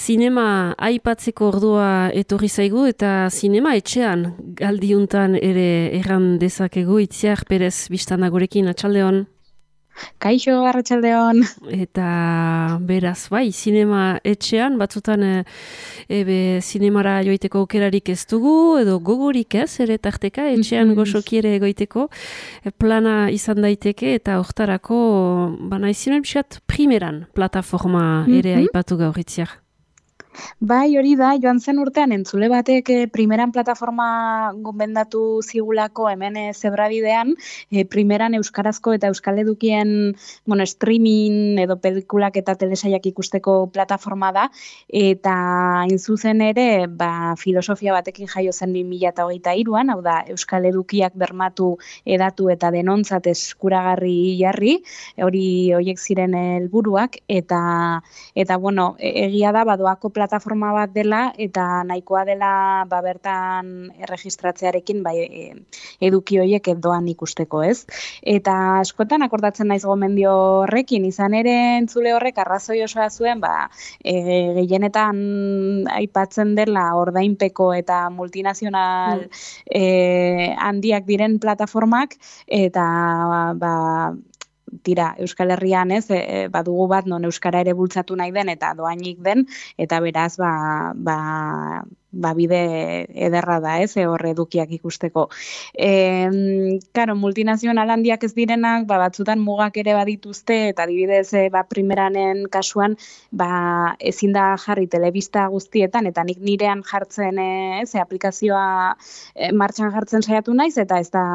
Zinema aipatzeko ordua etorri zaigu eta zinema etxean galdiuntan ere erran dezakegu. Itziar Perez biztana gurekin, atxaldeon. Kaixo, arratsaldeon. Eta beraz, bai, zinema etxean, batzutan zinemara joiteko aukerarik ez dugu, edo gogorik ez, ere tarteka, etxean goxoki ere egoiteko, plana izan daiteke, eta hortarako, bana izinen biskat, primeran plataforma ere aipatu gaur, Itziar. Bai, hori da, joan zen urtean entzule batek primeran plataforma gomendatu zigulako hemen zebrabidean, primeran euskarazko eta euskal edukien streaming edo pelikulak eta telesaiak ikusteko plataforma da, eta inzuzen ere filosofia batekin jaio zen 2023an, hau da, euskal edukiak bermatu edatu eta denontzat eskuragarri jarri, horiek ziren helburuak, eta bueno, egia da, badoako plataforma bat dela eta nahikoa dela bertan erregistratzearekin eduki horiek doan ikusteko, ez? Eta askotan akordatzen naiz gomendio horrekin, izan ere entzule horrek arrazoi osoa zuen, gehienetan aipatzen dela ordainpeko eta multinazional handiak diren plataformak, eta tira, Euskal Herrian badugu bat non euskara ere bultzatu nahi den eta doainik den, eta beraz bide ederra da, horre edukiak ikusteko. Karo, multinazional handiak ez direnak, batzutan mugak ere badituzte, eta adibidez, primeranen kasuan, ezin da jarri telebista guztietan, eta nik nirean jartzen, aplikazioa martxan jartzen saiatu naiz, eta ez da,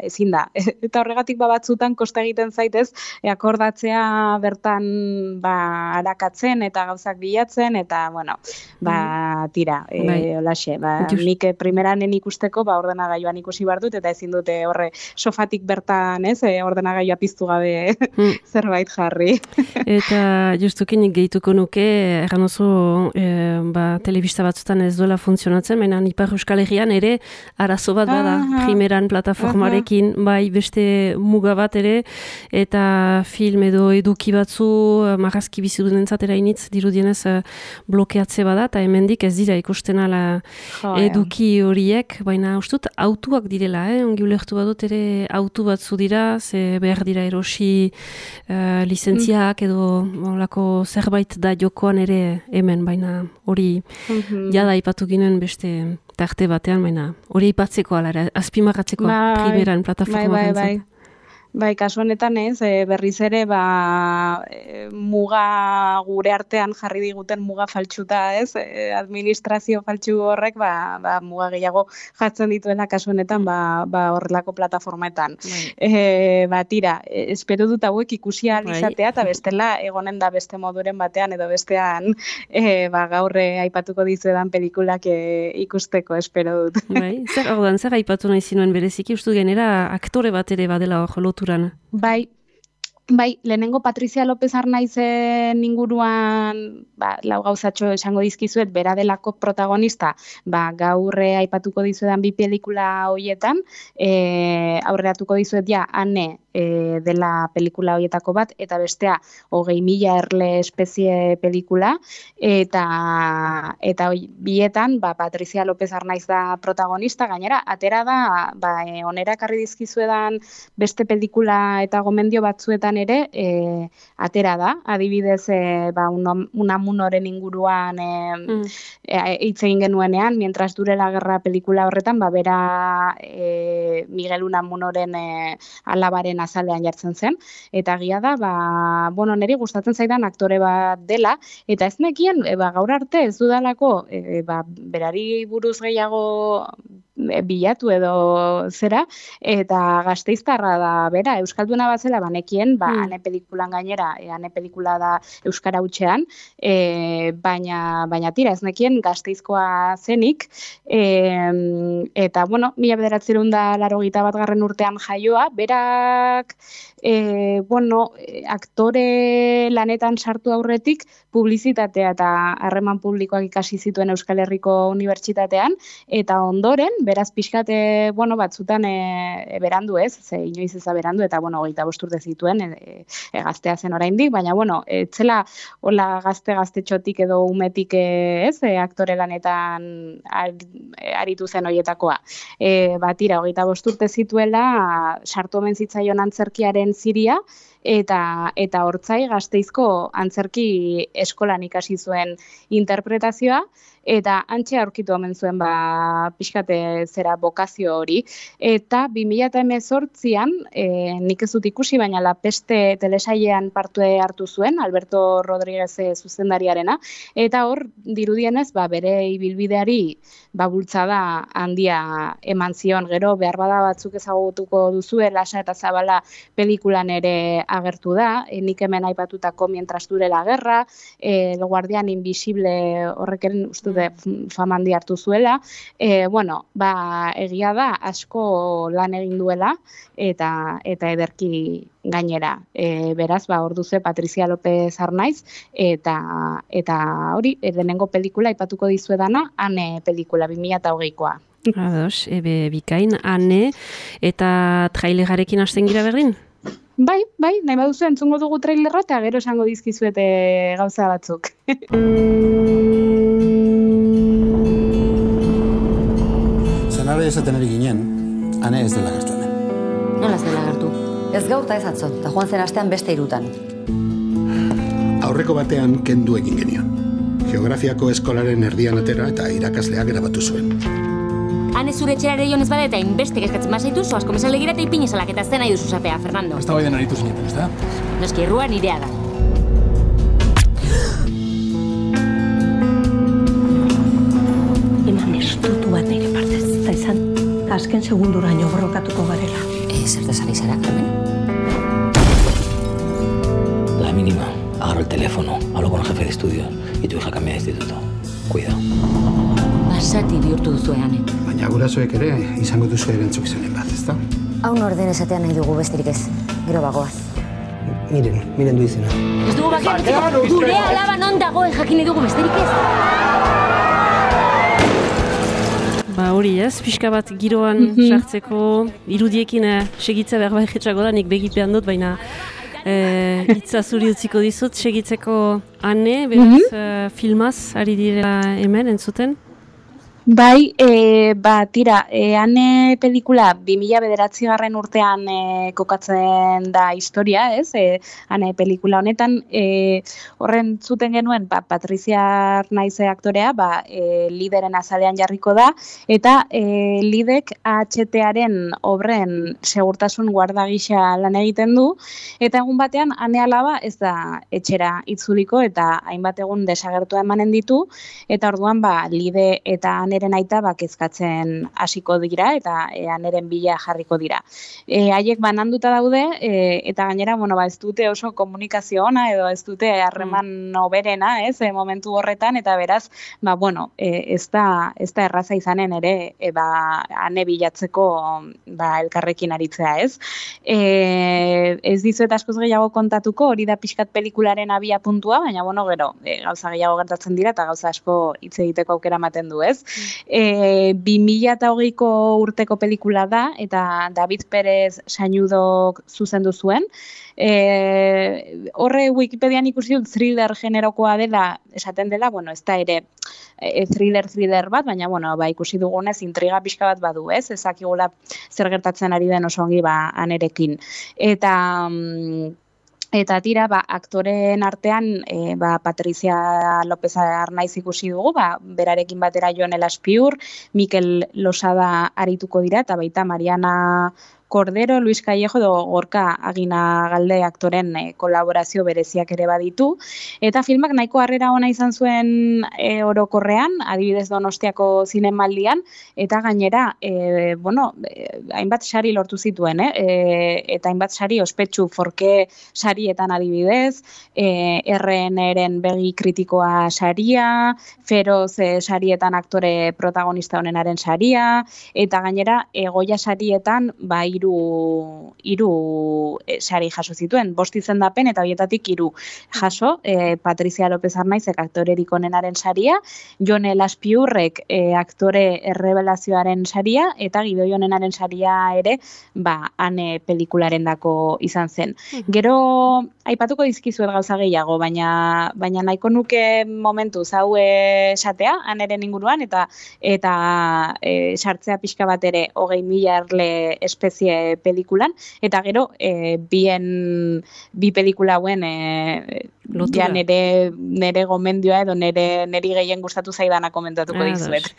ezin da. Eta horregatik batzutan kosta egiten zaitez, akordatzea bertan arakatzen, eta gauzak bilatzen, eta, bueno, tira, olaxe, nik primeranen ikusteko ordenagailuan ikusi behar dut, eta ezin dute horre sofatik bertan, ordenagailua piztu gabe zerbait jarri. Eta justukin gehituko nuke, erran oso telebista batzutan ez duela funtzionatzen, baina Ipar Euskal Herrian ere arazo bat bada, primeran plataformarekin, bai beste muga bat ere, eta film edo eduki batzu marrazki bizidunentzat erainitz dirudienez blokeatze bada, eta hemendik ez dira ikusten ala eduki horiek, baina ustut autuak direla, ongi ulertu badut ere autu batzu dira, ze behar dira erosi lizentziak edo olako zerbait da jokoan ere hemen, baina hori jada ipatu ginen beste tarte batean, baina hori ipatzeko ala, azpimarratzeko primeran plataforma bentzat. Bai, kasu honetan berriz ere muga gure artean jarri diguten muga faltsuta, administrazio faltsu horrek muga gehiago jartzen dituela kasu honetan horrelako plataformetan. Tira, espero dut hauek ikusi ahal izatea, eta bestela egonen da beste moduren batean edo bestean gaur aipatuko dizuedan pelikulak ikusteko, espero dut. Zer aipatu nahi zinuen bereziki, uste genera aktore bat ere badela hor lotu. Bai, lehenengo Patrizia López Arnaizen inguruan lau gauzatxo esango dizkizuet, bera delako protagonista, gaur aipatuko dizuedan bi pelikula horietan, aurreratuko dizuet Ane dela pelikula horietako bat, eta bestea 20.000 erle espezie pelikula, eta bietan Patrizia López Arnaiz da protagonista, gainera, atera da, onera ekarri dizkizuedan beste pelikula eta gomendio batzuetan ere atera da, adibidez Unamunoren inguruan hitz egin genuenean, mientras dure la guerra pelikula horretan, bera Miguel Unamunoren alabaren azalean jartzen zen, eta egia da, niri gustatzen zaidan aktore bat dela, eta ez nekien, gaur arte ez dudalako, berari buruz gehiago bilatu edo zera, eta Gasteiztarra da bera, euskalduna batzela banekien, ane pelikulan gainera, ane pelikula da euskara hutsean, baina tira, ez nekien Gasteizkoa zenik, eta, 1981 urtean jaioa, berak, aktore lanetan sartu aurretik, publizitatea eta harreman publikoak ikasi zituen Euskal Herriko Unibertsitatean, eta ondoren, beraz pixkate, batzutan berandu ez, ze inoiz eza berandu, eta 25 urte zituen, gaztea zen oraindik, baina etzela hola gazte-gaztetxotik edo umetik ez, aktore lanetan aritu zen horietakoa. Tira, 25 urte zituela, sartu omen zitzaion antzerkiaren ziria, eta hortzai Gasteizko antzerki eskolan ikasi zuen interpretazioa, eta antxe aurkitu omen zuen pixkate zera bokazio hori. Eta 2018an, nik ez dut ikusi, baina La Peste telesailean parte hartu zuen, Alberto Rodríguez zuzendariarena, eta hor dirudienez bere ibilbideari bultzada handia eman zion. Gero behar bada batzuk ezagutuko duzue, Lasa eta Zabala pelikulan ere agertu da, nik hemen aipatutako Mientras dure la guerra, El guardián invisible horrekeren uste fama handi hartu zuela. Egia da asko lan egin duela eta ederki gainera. Beraz, hor duzu Patricia López Arnaiz, eta hori, lehenengo pelikula aipatuko dizuedana, Ane pelikula, 2020koa. Ados, bikain, Ane, eta trailerarekin hasten gira berdin? Bai, nahi baduzu entzungo dugu trailerra eta gero esango dizkizuete gauza batzuk. Zenara esaten ari ginen, Ane ez dela gertu hemen. Nola ez dela gertu? Ez gaur eta ez atzo, eta joan zen astean beste 3. Aurreko batean kendu egin genion. Geografiako eskolaren erdian atera eta irakasleak grabatu zuen. Ane zure etxerare joan ez bada eta inbeste kezkatzen bazaitu, zoaz komezale gira eta ipinezalak eta zen nahi duzu zatea, Fernando. Ez da bai den aritu zinetan, ez da? Noski, errua nirea da. Eman estutu bat nire partez, eta izan azken segunduraino borrokatuko garela. Zertaz ari zara, Carmen? La mínima, agarro el teléfono, hablo con el jefe de estudios y tu hija cambia de instituto. Cuidado. Basati bihurtu duzu Ane. Baina gurasoek ere izango duzu erantzukizunen bat, ezta? Hau norden esatean nahi dugu besterik ez, gero bagoaz. Miren du izena. Ez dugu bakiatzeko, gure alaba non dagoen jakin dugu besterik ez. Hori ez, pixka bat giroan sartzeko irudiekin segitza behar bajetxako da, nik begipean dut, baina hitza zuri utziko dizut, segitzeko Ane, beraz filmaz ari direla hemen entzuten? Bai, tira, Ane pelikula 2009 urtean kokatzen da historia, ez? Ane pelikula honetan, horren zuten genuen, Patricia Arnaiz aktorea, lideren azalean jarriko da, eta lidek AHT-aren obren segurtasun guarda gisa lan egiten du, eta egun batean Ane alaba ez da etxera itzuliko, eta hainbat egun desagertua emanen ditu, eta orduan lide eta Aneren aita kezkatzen hasiko dira eta Aneren bila jarriko dira. Haiek bananduta daude eta gainera ez dute oso komunikazio ona edo ez dute harreman oberena, ez, momentu horretan, eta beraz, ez da erraza izanen ere Ane bilatzeko elkarrekin aritzea, ez. Ez dizuet askoz gehiago kontatuko, hori da pixkat pelikularen abia puntua, baina gero gauza gehiago gertatzen dira eta gauza asko hitz egiteko aukera ematen du, ez. 2020ko urteko pelikula da, eta David Pérez Sañudok zuzendu zuen. Horre Wikipedian ikusi dut thriller generokoa dela, esaten dela, ez da ere thriller bat, baina ikusi dugunez intriga pixka bat badu, ez? Ezakigula zer gertatzen ari den oso ongi Anerekin. Eta tira, aktoren artean, Patricia López Arnaiz ikusi dugu, berarekin batera Jon Elaspiur, Mikel Losada arituko dira, eta baita Mariana Cordero, Luis Callejo edo Gorka Aginagalde aktoren kolaborazio bereziak ere baditu. Eta filmak nahiko harrera ona izan zuen orokorrean, adibidez Donostiako zinemaldian, eta gainera, hainbat sari lortu zituen, eta hainbat sari ospetsu Forke sarietan adibidez, RN-eren begi kritikoa saria, Feroz sarietan aktore protagonista honenaren saria, eta gainera Goya sarietan, hiru sari jaso zituen, 5 izendapen eta horietatik 3 jaso, Patricia López Arnaizek aktorerik onenaren saria, Jon Elaspiurrek aktore errebelazioaren saria, eta Gidoi onenaren saria ere, Ane pelikularendako izan zen. Gero, aipatuko dizkizuet gauza gehiago, baina nahiko nuke momentuz hau esatea, Aneren inguruan, eta sartzea pixka bat ere 20.000 erle espezie pelikulan, eta gero bi pelikula hauen ja nere gomendioa edo neri gehien gustatu zaidana komentatuko dizuet.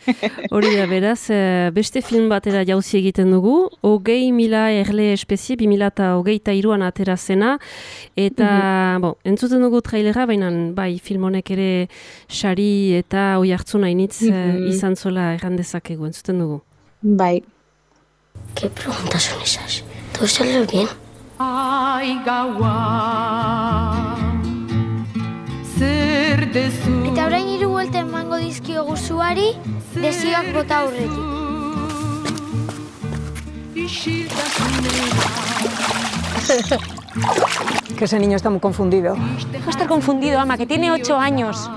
Hori da, beraz, beste film batera jauzi egiten dugu, 20.000 erle espezie, 2023an atera zena, eta, entzuten dugu trailera, baina bai, film honek ere sari eta oi hartzuna initz izan zola errandezakegu, entzuten dugu. Bai. ¿Qué preguntas son esas? ¿Todo sale bien? Ai gaua zer dezu. Eta orain 3 buelta emango dizkiogu zuari, desioak bota aurretik. Que ese niño está muy confundido. Deja de estar confundido, ama, que tiene 8 años.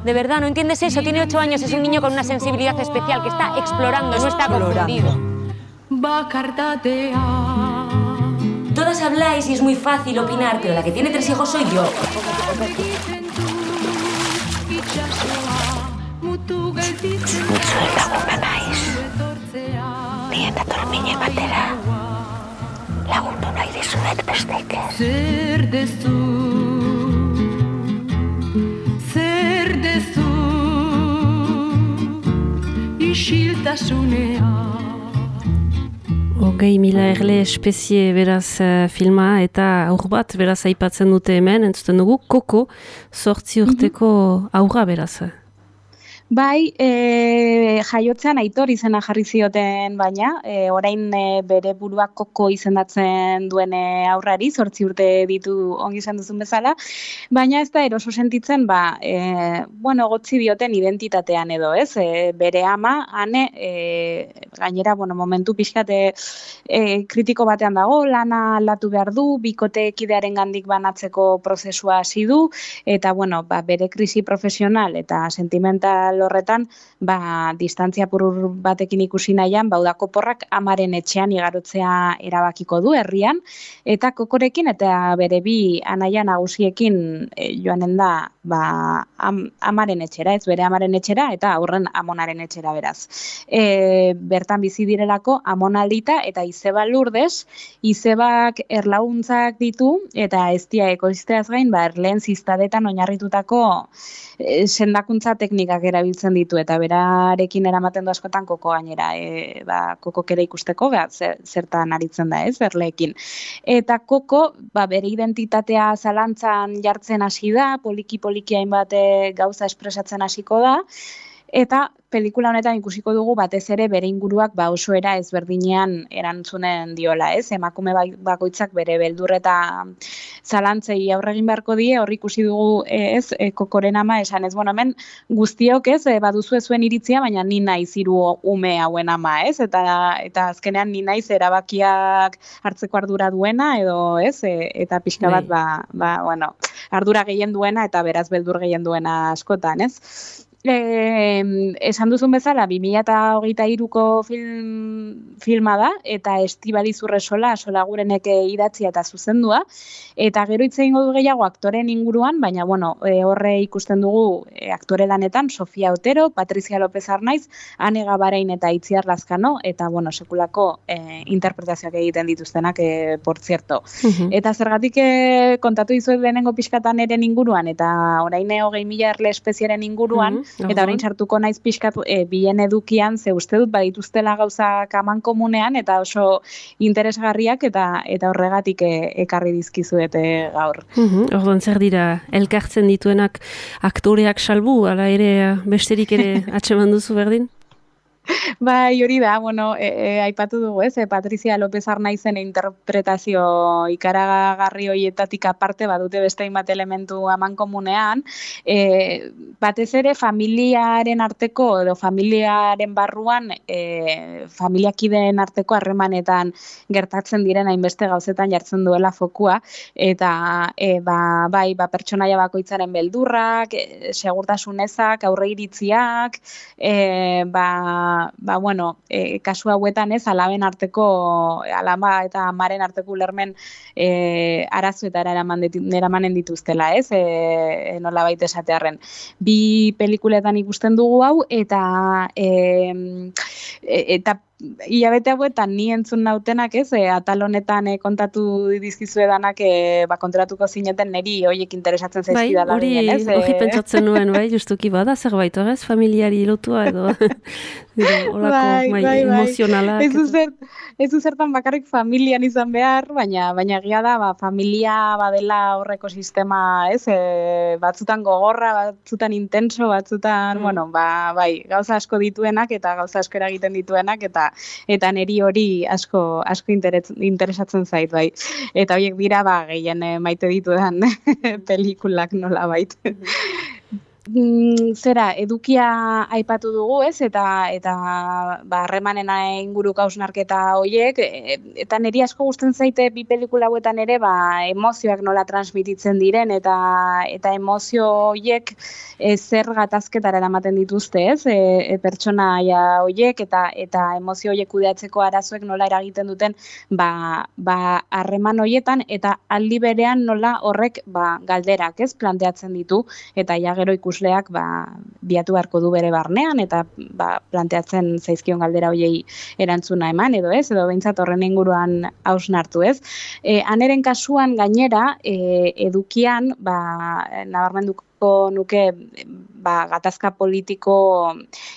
De verdad, ¿no entiendes eso? Tiene 8 años, es un niño con una sensibilidad especial que está explorando, no está confundido. Todas habláis y es muy fácil opinar, pero la que tiene 3 hijos soy yo. Zuek laguna naiz. Nien datormine batera. Lagundu nahi dizuet bestek ez. Zer dezu, isiltasunea. 20.000 erle espezie beraz filma eta aur bat beraz aipatzen dute hemen, entzuten dugu, Koko 8 urteko aurra beraz. Bai, jaiotzean Aitor izena jarri zioten baina, orain bere burua Koko izendatzen duen aurrari, 8 urte ditu ongi esan duzun bezala, baina ez da eroso sentitzen, gotzi dioten identitatean edo, ez? Bere ama, Ane, gainera, momentu pixkate kritiko batean dago, lana aldatu behar du, bikotekidearen gandik banatzeko prozesua hasi du, eta, bere krisi profesional eta sentimental horretan, distantzia purur batekin ikusi nahian, udako porrak amaren etxean igarotzea erabakiko du herrian, eta Kokorekin eta bere bi anaia nagusiekin joanen da amaren etxera, ez bere amaren etxera, eta aurren amonaren etxera beraz. Bertan bizi direlako amonaldita eta Izeba Lourdes, Izebak erlaguntzak ditu, eta ez dia ekoizteaz gain, erleen ziztadetan oinarritutako sendakuntza teknikak erabiltzen ditu, eta berarekin eramaten du askotan Koko gainera, Kokok ere ikusteko, zertan aritzen da ez, erleekin. Eta Koko, bere identitatea zalantzan jartzen hasi da, poliki hainbat gauza espresatzen hasiko da, eta pelikula honetan ikusiko dugu batez ere bere inguruak oso era ezberdinean erantzunen diola, ez? Emakume bakoitzak bere beldur eta zalantzei aurre egin beharko die, hor ikusi dugu, ez, Kokoren ama esan ez, hemen guztiok, ez, baduzu zuen iritzia, baina ni naiz 3 ume hauen ama, ez? Eta azkenean ni naiz erabakiak hartzeko ardura duena edo, ez? Eta pixka bat ardura gehien duena eta beraz beldur gehien duena askotan, ez? Esan duzun bezala, 2023ko filma da, eta Estibaliz Urresola, Solagurenek idatzia eta zuzendua, eta gero hitz egingo du gehiago aktoren inguruan, baina, horre ikusten dugu aktore lanetan, Sofia Otero, Patricia López Arnaiz, Ane Gabarein eta Itziar Lazkano, eta, sekulako interpretazioak egiten dituztenak, por cierto. Eta zergatik kontatu dizuet lehenengo pixkatan eren inguruan, eta orain 20.000 erle espeziaren inguruan, eta orain sartuko naiz pixkat bien edukian, ze uste dut badituztela gauzak aman komunean, eta oso interesgarriak, eta horregatik ekarri dizkizuete gaur. Orduan zer dira, elkartzen dituenak aktoreak salbu, ala ere besterik ere atseman duzu berdin? Bai, hori da, bueno, aipatu dugu, ez, Patrizia López Arnaizen interpretazio ikaragarri horietatik aparte badute beste hainbat elementu amankomunean, batez ere familiaren arteko edo familiaren barruan familiakideen arteko harremanetan gertatzen diren hainbeste gauzetan jartzen duela fokua, eta bai, pertsonaia bakoitzaren beldurrak, segurtasun ezak, aurreiritziak, bueno, kasu hauetan ez, alaba eta amaren arteko ulermen arazoetara eramanen dituztela, ez, nolabait esatearren. Bi pelikuletan ikusten dugu hau, eta hilabete hauetan ni entzun nautenak, ez, atal honetan kontatu dizkizuedanak kontratuko zineten niri horiek interesatzen zaizkidala. Bai, hori pentsatzen nuen, bai, justuki bada zerbait, ez, familiari lotua edo olako emozionala. Ez du zertan bakarrik familian izan behar, baina egia da, familia badela horreko sistema, ez, batzutan gogorra, batzutan intenso, batzutan, bueno, bai, gauza asko dituenak eta gauza asko eragiten dituenak, eta niri hori asko interesatzen zait, bai. Eta horiek dira, gehien maite ditudan pelikulak nola bait. Zera, edukia aipatu dugu, ez, eta harremanen inguruko hausnarketa horiek, eta niri asko gusten zaite bi pelikula hauetan ere, emozioak nola transmititzen diren, eta emozio horiek zer gatazketara eramaten dituzte, ez, pertsonaia horiek, eta emozio horiek kudeatzeko arazoek nola eragiten duten, harreman horietan, eta aldi berean nola horrek, galderak, ez, planteatzen ditu, eta ja gero ikusleak biatu beharko du bere barnean eta planteatzen zaizkion galdera hoiei erantzuna eman edo ez, edo behintzat horren inguruan hausnartu, ez. Aneren kasuan gainera, edukian, nabarmenduko nuke gatazka politiko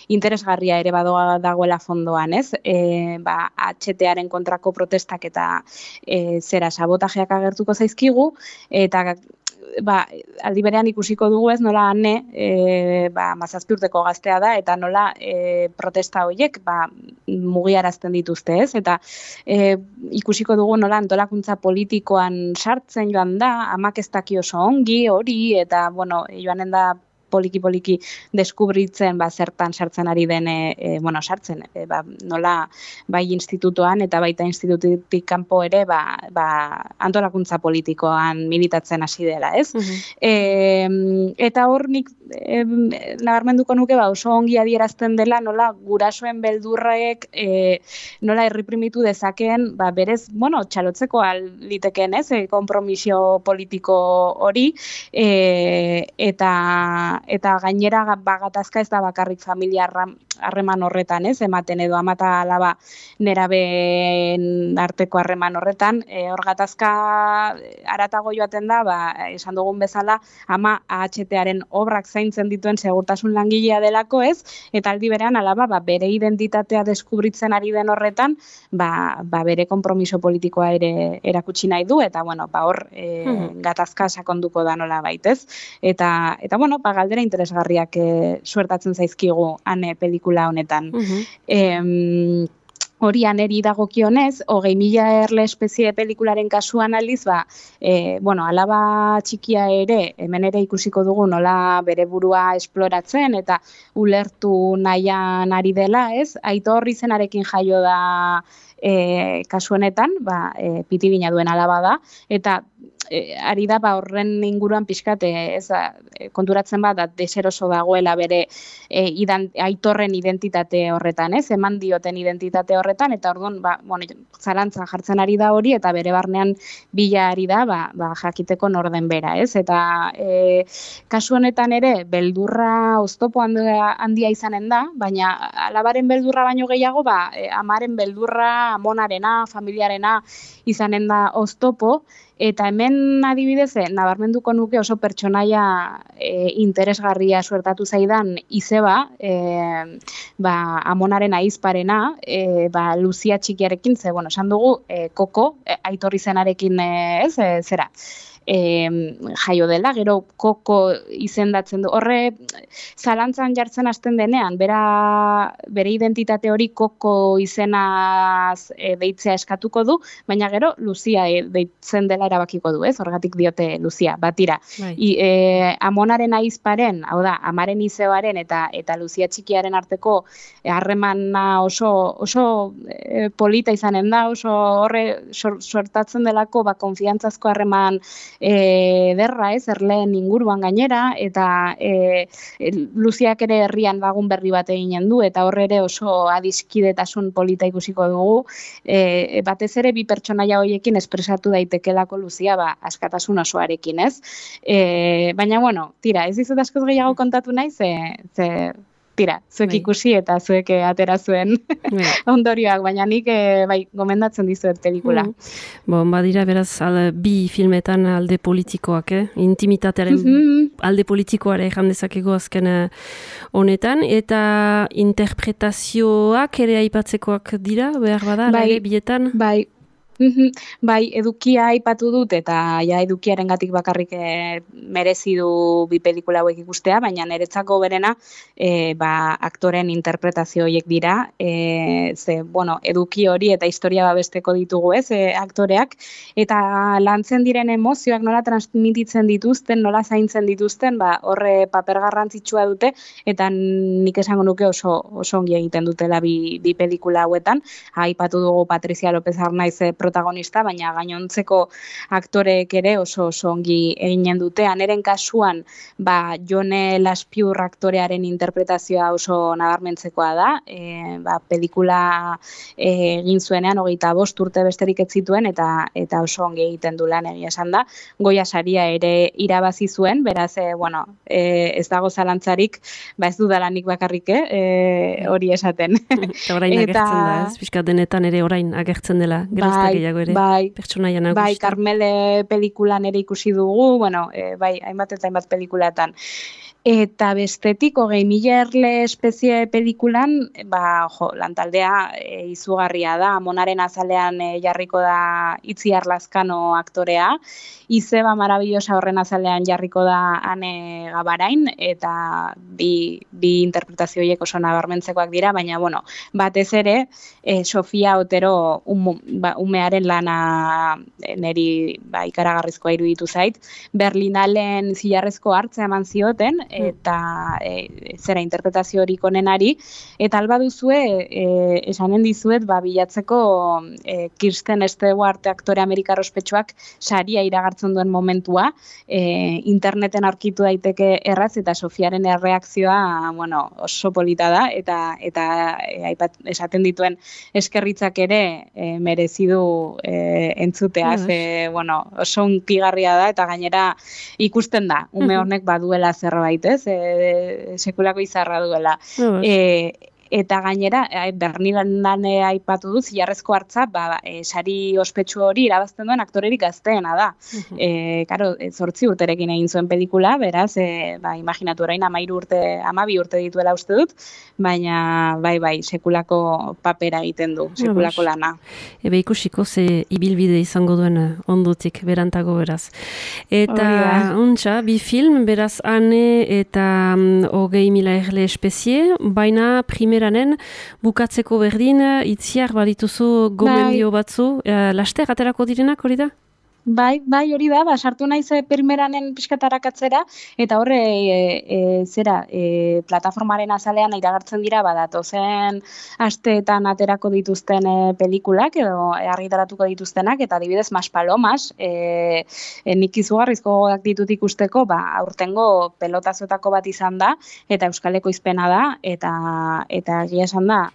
interesgarria ere dagoela fondoan, ez? HTaren kontrako protestak eta sabotajeak agertuko zaizkigu, eta aldi berean ikusiko dugu, ez, nola Ane 17 urteko gaztea da, eta nola protesta horiek mugiarazten dituzte, ez, eta ikusiko dugu nola antolakuntza politikoan sartzen joan da, amak ez daki oso ongi hori, eta joanen da poliki deskubritzen zertan sartzen ari den, nola bai institutoan eta baita institututik kanpo ere antolakuntza politikoan militatzen hasi dela, ez? Eta hor nik nabarmenduko nuke oso ongi adierazten dela nola gurasoen beldurrek nola erreprimitu dezakeen berez, txalotzeko litekeen, ez? Konpromisio politiko hori, eta gainera gatazka ez da bakarrik familia harreman horretan, ez, ematen edo ama eta alaba nerabeen arteko harreman horretan, hor gatazka haratago joaten da, esan dugun bezala, ama AHTaren obrak zaintzen dituen segurtasun langilea delako, ez, eta aldi berean alaba bere identitatea deskubritzen ari den horretan, bere konpromiso politikoa ere erakutsi nahi du, eta hor gatazka sakonduko da nola baitez, eta galdera interesgarriak suertatzen zaizkigu Ane pelikula honetan. Hori Aneri dagokionez, 20.000 erle espezie pelikularen kasuan aldiz, alaba txikia ere, hemen ere ikusiko dugu nola bere burua esploratzen eta ulertu nahian ari dela, ez? Aitor izenarekin jaio da kasu honetan, pitibina duen alaba da, eta ari da horren inguruan pixkat konturatzen deseroso dagoela bere aitorren identitate horretan, ez? Eman dioten identitate horretan, eta orduan zalantzan jartzen ari da hori, eta bere barnean bila ari da jakiteko norden bera, ez? Eta kasu honetan ere beldurra oztopo handia izanen da, baina alabaren beldurra baino gehiago, amaren beldurra, amonarena, familiarena izanen da oztopo, eta hemen adibidez, nabarmenduko nuke oso pertsonaia interesgarria suertatu zaidan izeba, amonaren ahizparena, Luzia txikiarekin, esan dugu, Koko, Aitor izenarekin, jaio dela, gero Koko izendatzen du. Horre, zalantzan jartzen hasten denean, bere identitate hori Koko izenaz deitzea eskatuko du, baina gero Lucia deitzen dela erabakiko du, ez? Horregatik diote Lucia, batira. Amonaren ahizparen, hau da, amaren izeoaren eta Lucia txikiaren arteko harremana oso polita izanen da, oso horre sortatzen delako konfiantzazko harreman derra, ez, erleen inguruan gainera, eta Luziak ere herrian lagun berri bat eginen du, eta horre ere oso adiskidetasun polita ikusiko dugu, batez ere bi pertsonaia horiekin espresatu daitekelako Luzia, askatasun osoarekin, ez? Baina, bueno, tira, ez dizut askoz gehiago kontatu nahi, ze tira, zuek ikusi eta zuek atera zuen ondorioak, baina nik gomendatzen dizuet pelikula. Badira beraz bi filmetan alde politikoak, intimitatearen alde politikoare ejan dezakego azken honetan, eta interpretazioak ere aipatzekoak dira, behar bada, bietan? Bai, edukia aipatu dut, eta edukiarengatik bakarrik merezi du bi pelikula hauek ikustea, baina niretzako berena aktoren interpretazio horiek dira, eduki hori eta historia babesteko ditugu, ez, aktoreak, eta lantzen diren emozioak nola transmititzen dituzten, nola zaintzen dituzten, horre paper garrantzitsua dute, eta nik esango nuke oso ongi egiten dutela bi pelikula hauetan. Aipatu dugu Patricia López Arnaiz protagonista, baina gainontzeko aktoreek ere oso ongi eginen dute. Aneren kasuan, Jone Laspiur aktorearen interpretazioa oso nabarmentzekoa da. Pelikula egin zuenean 25 urte besterik ez zituen, eta oso ongi egiten du lan, egia esan da. Goya saria ere irabazi zuen, beraz, ez dago zalantzarik, ez dudalanik bakarrik, hori esaten. Eta orain agertzen da, ez? Piskat denetan ere orain agertzen dela, geroztak gehiago ere, pertsonaia nagusi. Bai, Carmele pelikulan ere ikusi dugu, hainbat eta hainbat pelikulatan. Eta bestetik, 20.000 erle espezie pelikulan, lantaldea izugarria da, Amonaren azalean jarriko da Itziar Lazkano aktorea, Izeba Marabillosa horren azalean jarriko da Ane Gabarain, eta bi interpretazio horiek oso nabarmentzekoak dira, baina, batez ere, Sofia Otero umearen lana neri ikaragarrizkoa iruditu zait, Berlinalen zilarrezko hartzea eman zioten, eta zera interpretazio horik onenari, eta alba duzue, esanen dizuet, bilatzeko Kirsten Stewart aktore amerikar ospetsuak saria iragartzen duen momentua, interneten aurkitu daiteke erraz, eta Sofiaren erreakzioa, oso polita da, eta esaten dituen eskerritzak ere merezi du entzutea, oso unkigarria da, eta gainera ikusten da, ume honek baduela zerbait, sekulako izarra duela. Eta gainera, Berlinalen aipatu du, zilarrezko hartza, sari ospetsu hori irabazten duen aktorerik gazteena da. Karo, 8 urterekin egin zuen pelikula, beraz, imaginatu orain 12 urte dituela uste dut, baina, sekulako papera egiten du, sekulako lana. Ikusiko ze ibilbide izango duen ondotik, berantago beraz. Eta, bi film, beraz, Ane eta 20.000 erle espezie, baina primeranen bukatzeko berdin, Itziar badituzu gomendio batzu, laster aterako direnak hori da? Bai, hori da, sartu naiz primeranen pixkatarakatzera, eta horre, plataformaren azalean iragartzen dira, datozen asteetan aterako dituzten pelikulak, edo argitaratuko dituztenak, eta adibidez, Maspalomas, nik izugarrizko gogoak ditut ikusteko, aurtengo pelotazotako bat izan da, eta euskaleko izpena da, eta egia esan da,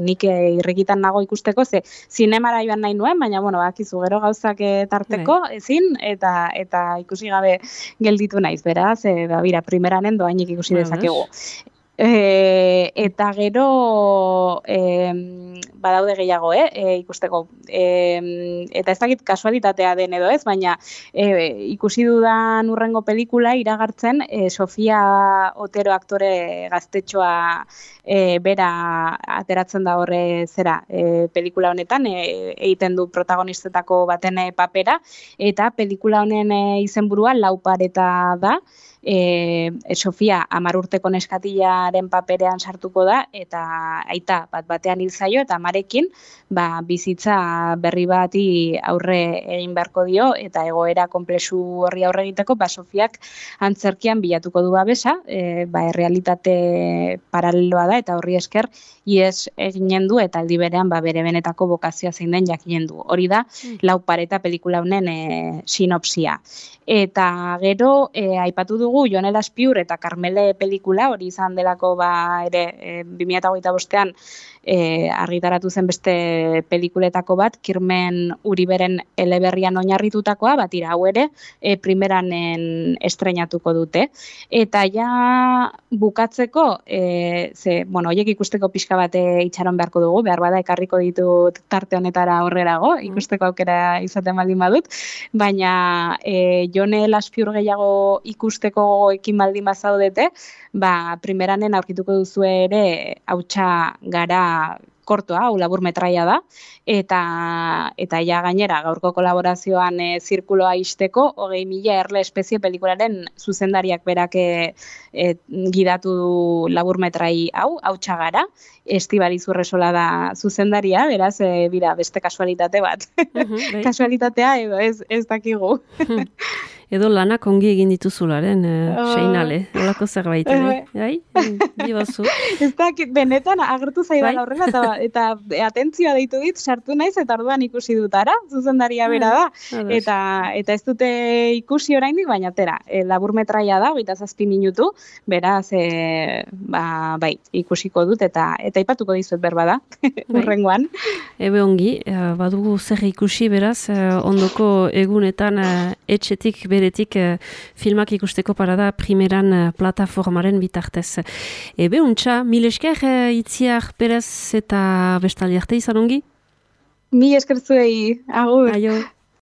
nik irrikitan nago ikusteko, ze zinemara joan nahi nuen, baina, bakizu gero gauzak tarteko, ezin, eta ikusi gabe gelditu naiz, beraz, primeranen doainik ikusi dezakegu. Eta gero badaude gehiago, ikusteko. Eta ez dakit kasualitatea den edo ez, baina ikusi dudan urrengo pelikula iragartzen Sofia Otero aktore gaztetxoa bera ateratzen da horre pelikula honetan, egiten du protagonistetako baten papera, eta pelikula honen izenburua Laupareta da. Sofia 10 urteko neskatilaren paperean sartuko da, eta aita batean hil zaio, eta amarekin bizitza berri bati aurre egin beharko dio, eta egoera konplexu horri aurre egiteko, Sofiak antzerkian bilatuko du babesa, errealitate paraleloa da, eta horri esker ies eginen du, eta aldi berean bere benetako bokazioa zein den jakinen du. Hori da, Laupareta pelikula honen sinopsia. Eta gero, aipatu dugu Jon Elaspiur eta Karmele pelikula, hori izan delako ere 2025an argitaratu zen beste pelikuletako bat, Kirmen Uriberen eleberrian oinarritutakoa, batira hau ere primeranen estrenatuko dute. Eta ja bukatzeko, horiek ikusteko pixka bat itxaron beharko dugu, behar bada ekarriko ditut tarte honetara horrerago, ikusteko aukera izaten baldin badut, baina Jon Elaspiur gehiago ikusteko ekin baldin bazaudete, primeranen aurkituko duzu ere Hautsa gara kortoa, hau labur metraia da, eta ja gainera gaurko kolaborazioan zirkuloa ixteko 20.000 erle espezie pelikularen zuzendariak berak gidatu du labur metrai hau, Hautsa gara, Estibaliz Urresola da zuzendaria, beraz, beste kasualitate bat. Kasualitatea edo ez dakigu. Edo lanak ongi egin dituzularen, seinale, olako zerbait, dibazu. Ez dakit, benetan agertu zaidan horrela, eta atentzioa deitu dit, sartu naiz, eta orduan ikusi dutara, zuzendaria bera da, eta ez dute ikusi oraindik, baina labur metraia da, 27 minutu, beraz, ikusiko dut, eta ipatuko dizut berbada, urrengoan. Ebe ongi, badugu zer ikusi, beraz, ondoko egunetan etxetik beretik filmak ikusteko parada primeran plataformaren bitartez. Ebe untxa, mil esker Itziar Perez eta bestaldi arte izan ongi? Mil esker zuei, agur. Aio.